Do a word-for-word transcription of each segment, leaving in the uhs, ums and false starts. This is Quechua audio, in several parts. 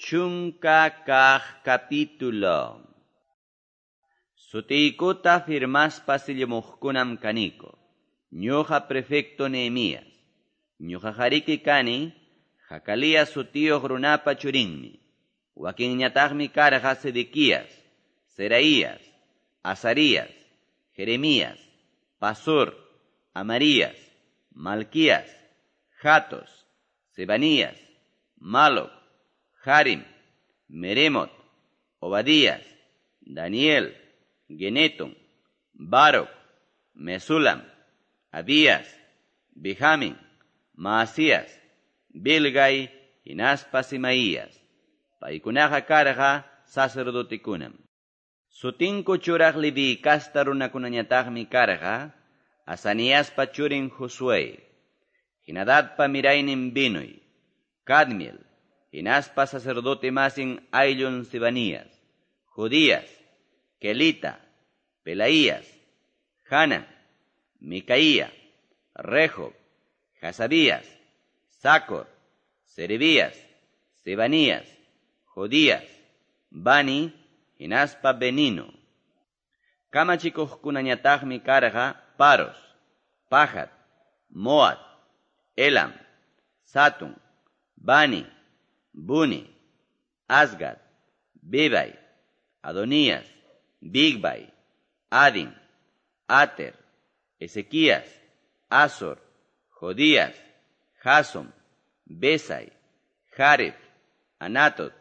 Chunka kaq capítulo. Sutiykuta firmaspa sillumuqkunam kaniko. Ñuqa prefecto Nehemías. Ñuqa hariki kani, Jacalías sutiyuq runapa churinmi. Wakinñataqmi karqa Sedequías, Seraías, Azarías, Jeremías, Pasur, Amarías, Malquías, Jatos, Sebanías, Maloc, Harim, Meremot, Obadías, Daniel, Geneton, Baruch, Mesulam, Abías, Benjamín, Maasías, Bilgai, hinaspa Simaías. Paykunaqa karqa sacerdotekunam. Sutinku churaq Leví kasta runakunañataqmi karqa, Asaniaspa churin Josué, Hinadadpa miraynin Binuy, Cadmiel, hinaspa sacerdote masin ayllun Sebanías, Judías, Kelita, Pelaías, Hanan, Micaía, Rehob, Hasabías, Sacor, Serebías, Sebanías, Jodías, Bani, hinaspa Benino. Kamachikuqkunañataqmi karqa Paros, Pahat, Moat, Elam, Satun, Bani, Buni, Asgad, Bebay, Adonías, Bigbay, Adin, Ater, Ezequías, Azor, Jodías, Jason, Besai, Jareb, Anatot,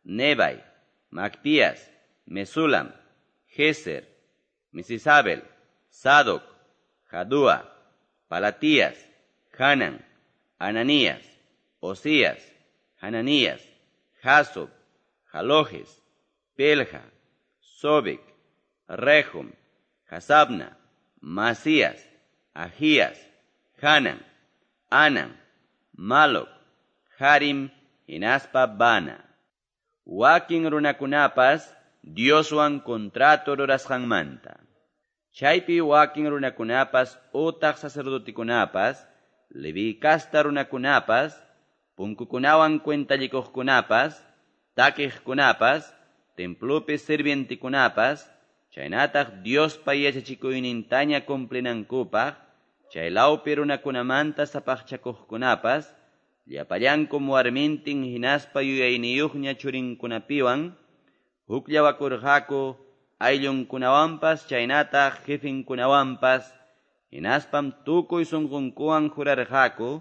Nebai, Macpías, Mesulam, Geser, Misisabel, Sadoc, Jadúa, Palatías, Hanan, Ananías, Osías, Hananías, Jasob, Jalojes, Pelja, Sobek, Rehum, Hasabna, Masías, Ahías, Hanan, Anan, Maloc, Harim, hinaspa Bana. Wakin runakunapas Dioswan contrato rurasqanmanta. Chaypi wakin runakunapas utaq sacerdotikunapas, Leví kasta runakunapas, punkukunawan cuentallikuqkunapas, takiqkunapas, templopi sirvientikunapas, chaynataq Diospa yachachikuynintaña cumplinankupaq, chaylawpi runakunamanta sapaqchakuqkunapas, llapallankum warmintin hinaspa yuyayniyuqña churinkunapiwan, hukllawakurqaku ayllunkunawanpas chaynataq jefinkunawanpas, hinaspam tukuy sunqunkuwan jurarqaku,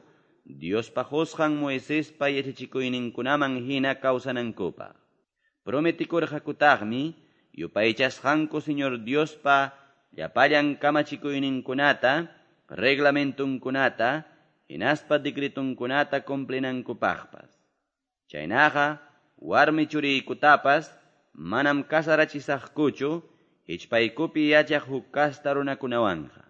Diospa qusqan Moisespa yachachikuyninkunaman hina kawsanankupaq. Prometikurqakutaqmi yupaychasqanku Señor Diospa llapallan kamachikuyninkunata, reglamentunkunata, hinaspa decretunkunata cumplinankupaqpas. Chaynaqa warmi churiykutapas manam kasarachisaqkuchu hichpaykupi yachaq huk kasta runakunawanqa.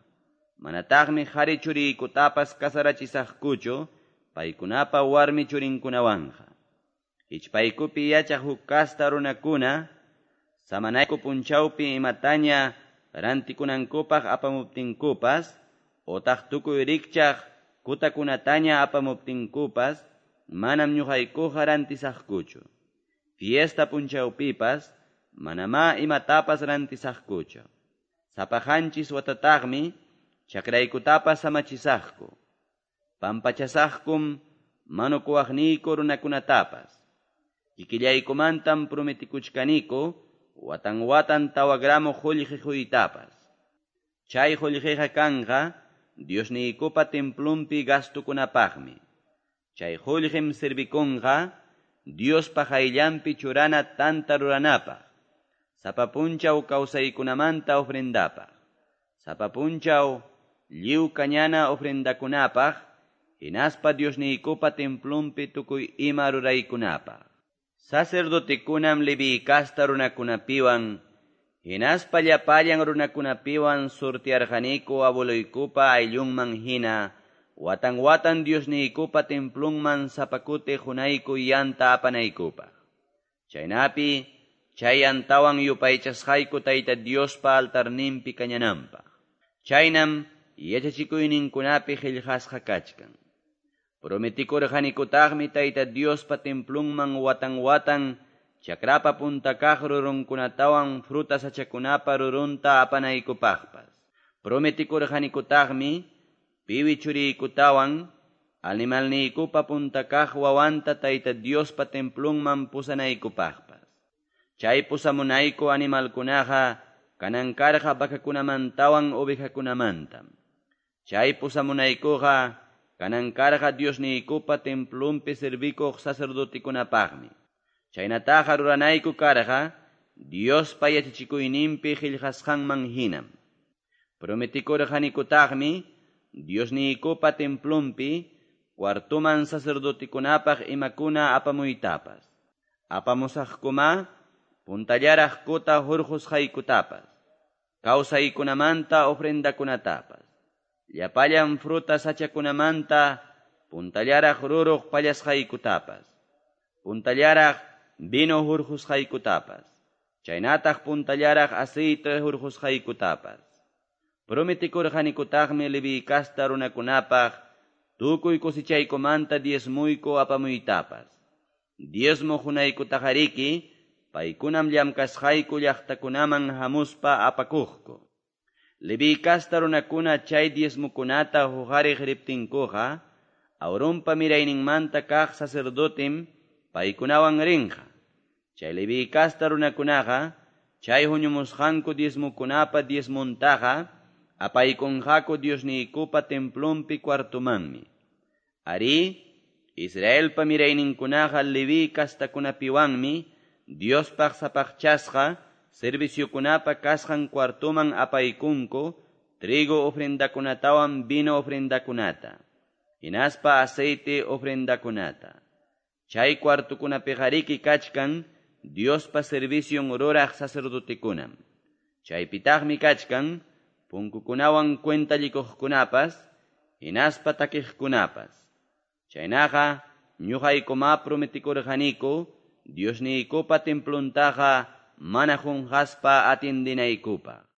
Manataqmi qhari churiykutapas kasarachisaqkuchu paykunapa warmi churinkunawanqa. Hichpaykupi yachaq huk kasta runakuna samanayku punchawpi imataña rantikunankupaq apamuptinkupas, otaq tukuy rikchaq kutakunataña apamuptinkupas, manam ñuqaykuqa rantisaqkuchu. Fiesta punchawpipas, manamá imatapas rantisaqkuchu. Sapaqanchis watataqmi chakraykutapas samachisaqku. Pampachasaqkum manukuwaqniyku runakunatapas. Kikillaykumantam prometikuchkaniku watan watan tawa gramo qullqi quytapas. Chay qullqiqa kanqa Diosniykupa templunpi gastukunapaqmi. Chay qullqim servikunqa Diospa qayllanpi churana tanta ruranapaq, sapa punchaw kawsaykunamanta ofrendapaq, sapa punchaw lliw kañana ofrendakunapaq, hinaspa Diosniykupa templunpi tukuy ima ruraykunapaq. Sacerdotekunam Leví kasta runakunapiwan, hinaspa llapallan runakunapiwan surtiarqaniku abueloykupa ayllunman hina, watan watan Diosniykupa templunman sapakuti qunayku yanta apanaykupaq. Chaynapi chay yantawan yupaychasqayku Tayta Diospa altarninpi kañananpaq. Chaynam yachachikuyninkunapi qillqasqa kachkan. Prometikurqanikutaqmi Tayta Diospa templonman watan-watan chakrapa punta kaq rurunkunatawan fruta sachakunapa rurunta apanaykupaqpas. Prometikurqanikutaqmi piwi churiykutawan animalniykupa punta kaq wawanta Tayta Diospa templonman pusanaykupaqpas. Chay pusamunayku animalkunaqa kanan karqa vacakunamantawan ovejakunamantam. Chay pusamunaykuqa kanan karqa Diosniykupa templonpi servikuq sacerdotekunapaqmi. Chaynataqa ruranayku karqa Diospa yachachikuyninpi qillqasqanman hinam. Prometikurqanikutaqmi Diosniykupa templonpi cuartoman sacerdotekunapaq imakuna apamuytapas. Apamusaqkuma puntallaraq kuta hurqusqaykutapas, kawsaykunamanta ofrendakunatapas, llapallan fruta sachakunamanta puntallaraq ruruq pallasqaykutapas, puntallaraq vino hurqusqaykutapas, chaynataq puntallaraq aceite hurqusqaykutapas. Prometikurqanikutaqmi Leví kasta runakunapaq tukuy cosechaykumanta diezmuyku apamuytapas. Diezmo hunaykutaqariki paykunam llamkasqayku llaqtakunaman hamuspa apakuqku. Leví kasta runakuna chay diezmukunata huqariq riptinkuqa, Aaronpa mirayninmanta kaq sacerdotem paykunawan rinqa. Chay Leví kasta runakunaqa chay huñumusqanku diezmukunapa diezmuntaqa apaykunqaku Diosniykupa templonpi cuartomanmi. Arí, Israelpa mirayninkunaqa Leví kastakunapiwanmi Diospaq sapaqchasqa serviciokunapa kasqan cuartoman apaykunku trigo ofrendakunatawan vino ofrendakunata, hinaspa aceite ofrendakunata. Chay cuartokunapiqariki kachkan Diospa servicion ruraq sacerdotekunam. Chaypitaqmi kachkan punkukunawan cuentallikuqkunapas, hinaspa takiqkunapas. Chaynaqa ñuqaykuma prometikurqaniku Diosniykupa templontaqa mana qunqaspa atindinaykupaq.